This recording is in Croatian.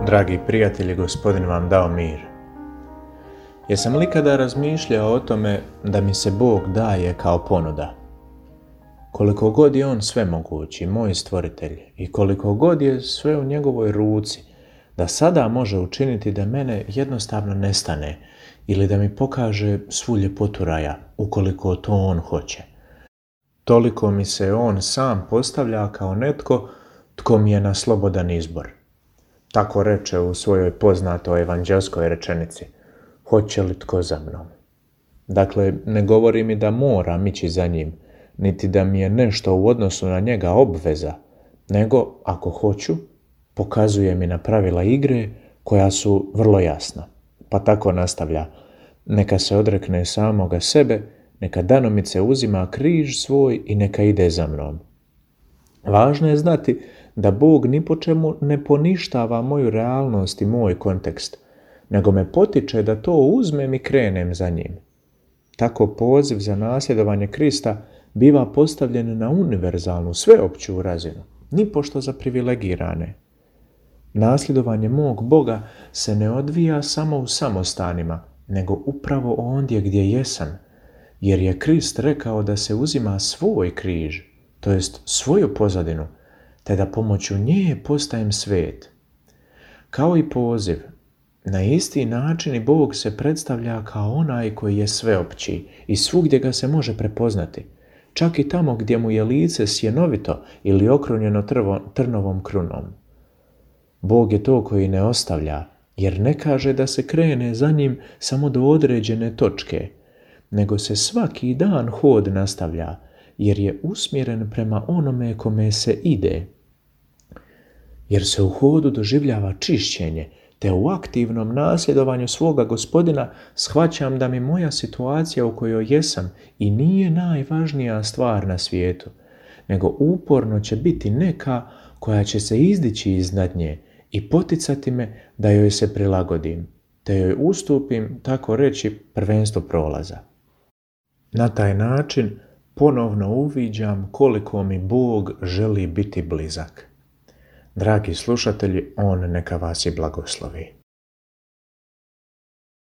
Dragi prijatelji, Gospodin vam dao mir. Jesam li kada razmišljao o tome da mi se Bog daje kao ponuda? Koliko god je On svemogući, moj stvoritelj, i koliko god je sve u njegovoj ruci, da sada može učiniti da mene jednostavno nestane ili da mi pokaže svu ljepotu raja, ukoliko to On hoće. Toliko mi se On sam postavlja kao netko tko mi je na slobodan izbor. Tako reče u svojoj poznatoj evanđelskoj rečenici: hoće li tko za mnom? Dakle, ne govori mi da moram ići za njim, niti da mi je nešto u odnosu na njega obveza, nego, ako hoću, pokazuje mi na pravila igre koja su vrlo jasna. Pa tako nastavlja: neka se odrekne samoga sebe, neka danomice uzima križ svoj i neka ide za mnom. Važno je znati da Bog ni po čemu ne poništava moju realnost i moj kontekst, nego me potiče da to uzmem i krenem za njim. Tako poziv za nasljedovanje Krista biva postavljen na univerzalnu, sveopću razinu, nipošto za privilegirane. Nasljedovanje mog Boga se ne odvija samo u samostanima, nego upravo ondje gdje jesam, jer je Krist rekao da se uzima svoj križ, to jest svoju pozadinu, te da pomoću nje postajem svet. Kao i poziv, na isti način i Bog se predstavlja kao onaj koji je sveopći i svugdje ga se može prepoznati, čak i tamo gdje mu je lice sjenovito ili okrunjeno trnovom krunom. Bog je to koji ne ostavlja, jer ne kaže da se krene za njim samo do određene točke, nego se svaki dan hod nastavlja, jer je usmjeren prema onome kome se ide. Jer se u hodu doživljava čišćenje, te u aktivnom nasljedovanju svoga Gospodina shvaćam da mi moja situacija u kojoj jesam i nije najvažnija stvar na svijetu, nego uporno će biti neka koja će se izdići iznad nje i poticati me da joj se prilagodim, te joj ustupim, tako reći, prvenstvo prolaza. Na taj način ponovno uviđam koliko mi Bog želi biti blizak. Dragi slušatelji, On neka vas i blagoslovi.